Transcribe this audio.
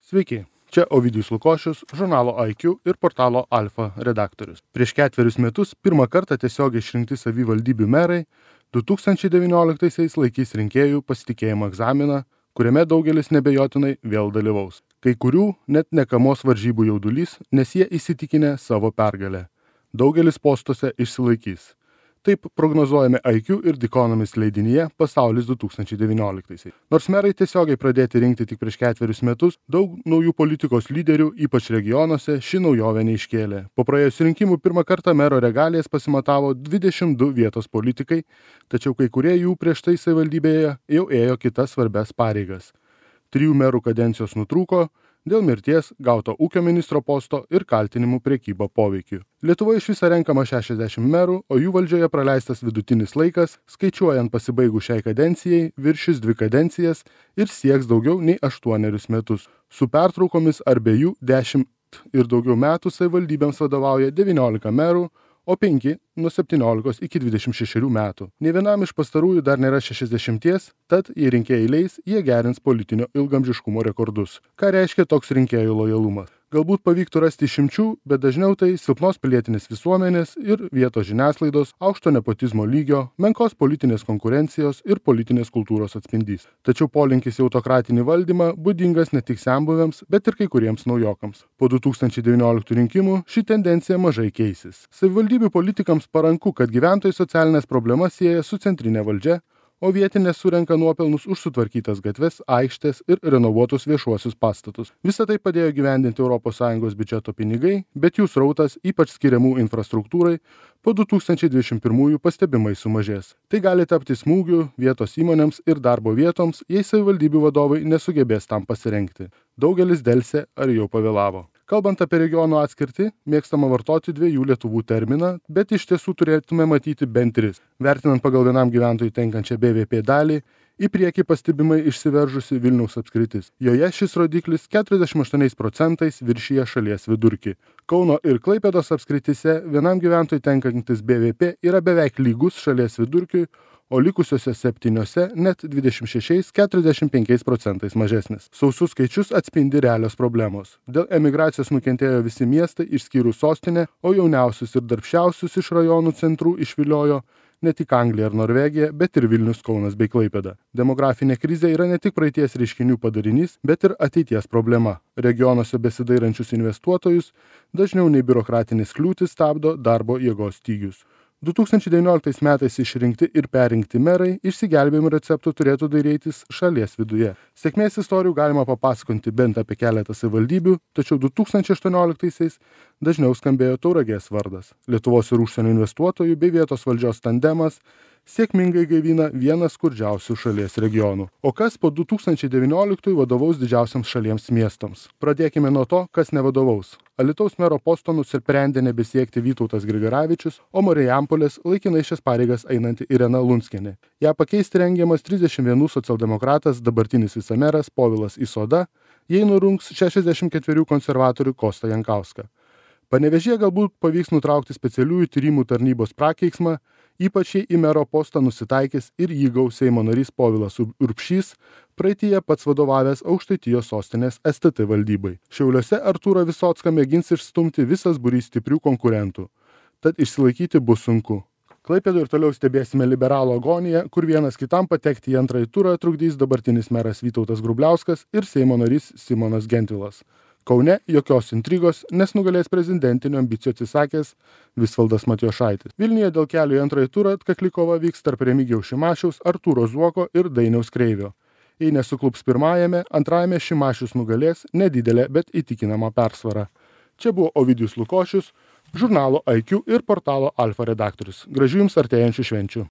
Sveiki, čia Ovidijus Lukošius, žurnalo IQ ir portalo Alfa redaktorius. Prieš 4 metus pirmą kartą tiesiogiai išrinkti savivaldybių merai 2019-aisiais laikys rinkėjų pasitikėjimo egzaminą, kuriame daugelis nebejotinai vėl dalyvaus. Kai kurių net nekamos varžybų jaudulys, nes jie įsitikinę savo pergalę. Daugelis postuose išsilaikys. Taip prognozuojame IQ ir The Economist leidinyje Pasaulis 2019-aisiais. Nors merai tiesiogiai pradėti rinkti tik prieš 4 metus, daug naujų politikos lyderių, ypač regionuose, ši naujovė neiškėlė. Po praėjusių rinkimų pirmą kartą mero regalijas pasimatavo 22 vietos politikai, tačiau kai kurie jų prieš tai savivaldybėje jau ėjo kitas svarbias pareigas. 3 merų kadencijos nutrūko dėl mirties, gauto ūkio ministro posto ir kaltinimų prekyba poveikiu. Lietuvoje iš viso renkama 60 merų, o jų valdžioje praleistas vidutinis laikas, skaičiuojant pasibaigus šiai kadencijai, viršys 2 kadencijas ir sieks daugiau nei 8 metus. Su pertraukomis ar be jų 10 ir daugiau metų savivaldybėms vadovauja 19 merų, o 5 nuo 17 iki 26 metų. Nė vienam iš pastarųjų dar nėra 60, tad jei rinkėjai leis, jie gerins politinio ilgamžiškumo rekordus. Ką reiškia toks rinkėjų lojalumas? Galbūt pavyktų rasti išimčių, bet dažniau tai silpnos pilietinės visuomenės ir vietos žiniasklaidos, aukšto nepotizmo lygio, menkos politinės konkurencijos ir politinės kultūros atspindys. Tačiau polinkis į autokratinį valdymą būdingas ne tik senbuviams, bet ir kai kuriems naujokams. Po 2019 rinkimų ši tendencija mažai keisis. Savivaldybių politikams paranku, kad gyventojai socialinės problemas sieja su centrinė valdžia, o vietinės surenka nuopelnus už sutvarkytas gatves, aikštės ir renovuotus viešuosius pastatus. Visą tai padėjo gyvendinti ES biudžeto pinigai, bet jų srautas, ypač skiriamų infrastruktūrai, po 2021 pastebimai sumažės. Tai gali tapti smūgiu vietos įmonėms ir darbo vietoms, jei savivaldybių vadovai nesugebės tam pasirengti. Daugelis delsė ar jau pavėlavo. Kalbant apie regionų atskirtį, mėgstama vartoti 2 Lietuvų terminą, bet iš tiesų turėtume matyti bent 3. Vertinant pagal vienam gyventojui tenkančią BVP dalį, į priekį pastebimai išsiveržusi Vilniaus apskritis. Joje šis rodiklis 48% viršyje šalies vidurkį. Kauno ir Klaipėdos apskritise vienam gyventojui tenkantis BVP yra beveik lygus šalies vidurkiui, o likusiuose 7 net 26–45% mažesnis. Sausus skaičius atspindi realios problemos. Dėl emigracijos nukentėjo visi miestai išskyrus sostinę, o jauniausius ir darbščiausius iš rajonų centrų išviliojo ne tik Anglija ar Norvegija, bet ir Vilnius, Kaunas bei Klaipėda. Demografinė krizė yra ne tik praeities reiškinių padarinys, bet ir ateities problema. Regionuose besidairančius investuotojus dažniau nei biurokratinės kliūtis stabdo darbo jėgos stygius. 2019 metais išrinkti ir perrinkti merai išsigelbėjimo receptų turėtų dairytis šalies viduje. Sėkmės istorijų galima papasakoti bent apie keletą savivaldybių, tačiau 2018-aisiais dažniau skambėjo Tauragės vardas. Lietuvos ir užsienio investuotojų bei vietos valdžios tandemas sėkmingai gaivina vieną skurdžiausių šalies regionų. O kas po 2019 vadovaus didžiausiams šalies miestams? Pradėkime nuo to, kas nevadovaus. Alytaus mero posto nusprendė nebesiekti Vytautas Grigaravičius, o Marijampolės laikinai šias pareigas einanti Irena Lunskienė. Ją pakeisti rengiamas 31 socialdemokratas, dabartinis vicemeras Povilas Isoda, jei nurungs 64 konservatorių Kostą Jankauską. Panevėžyje galbūt pavyks nutraukti specialiųjų tyrimų tarnybos prakeiksmą, ypač jei į mero postą nusitaikys ir jį gaus Seimo narys Povilas Urbšys, praeityje pats vadovavęs Aukštaitijos sostinės STT valdybai. Šiauliuose Artūrą Visocką mėgins išstumti visas būrys stiprių konkurentų, tad išsilaikyti bus sunku. Klaipėdoje ir toliau stebėsime liberalų agoniją, kur vienas kitam patekti į antrąjį turą trukdys dabartinis meras Vytautas Grubliauskas ir Seimo narys Simonas Gentvilas. Kaune jokios intrigos, nes nugalės prezidentinių ambicijų atsisakęs Visvaldas Matijošaitis. Vilniuje dėl kelio į antrąjį turą atkakli kova vyks tarp Remigijaus Šimašiaus, Artūro Zuoko ir Dainiaus Kreivio. Jei nesuklups pirmajame, antrajame Šimašius nugalės nedidelė, bet įtikinama persvara. Čia buvo Ovidijus Lukošius, žurnalo IQ ir portalo Alfa redaktorius. Gražių jums artėjančių švenčių.